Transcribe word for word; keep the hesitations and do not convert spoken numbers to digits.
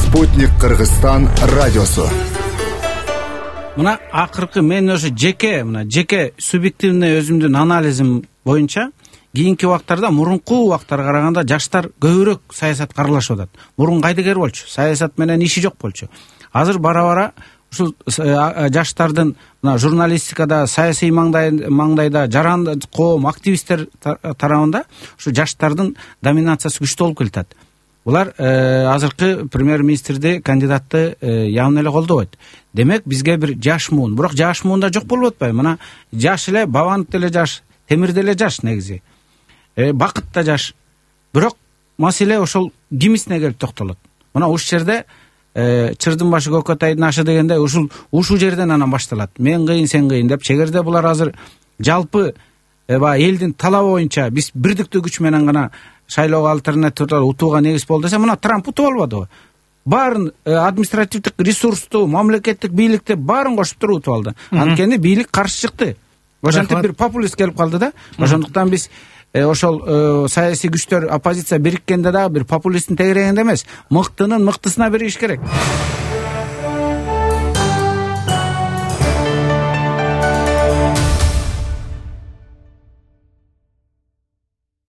Спутник Кыргызстан радиосу. Мына акыркы мен ошо жеке мына жеке субъективный өзүмдүн анализим боюнча кийинки убактарда мурунку убактарга караганда жаштар көбүрөөк саясатка аралашып атат. Мурун кайдыгер болчу, саясат менен иши жок болчу. Азыр бара-бара ушул жаштардын мына журналистикада, саясий маңдайда жаран коом, активисттер тарабында ушу жаштардын доминациясы күчтүү болуп келатат. Булар азыркы премьер-министрди, кандидатты явно эле колдобойт. Демек бизге бир жаш муун, бирок жаш муунда жок болуп атпайбы? Мына жаш эле, Бабанов деле жаш, Темир деле жаш негизи. Бакыт да жаш. Бирок маселе ошол кимисине келип токтолот. Мына ушул жерде чырдын башы көкөтайдын ашы дегенде ушул ушул жерден анан башталат. Мен кыйын, сен кыйын деп. Чегерде булар азыр жалпы элдин талабы боюнча биз бирдиктүү күч менен гана шайлоого альтернатива утууга негиз болду десе, мына Трамп утуп албадыбы? Баарын административдик ресурсту, мамлекеттик бийликти баарын кошуп туруп утуп алды. Анткени бийлик каршы чыкты. Ошентип бир популист келип калды да. Ошондуктан биз ошол саясий күчтөр, оппозиция бириккенде дагы бир популисттин тегерегинде эмес, мыктынын мыктысына бериш керек.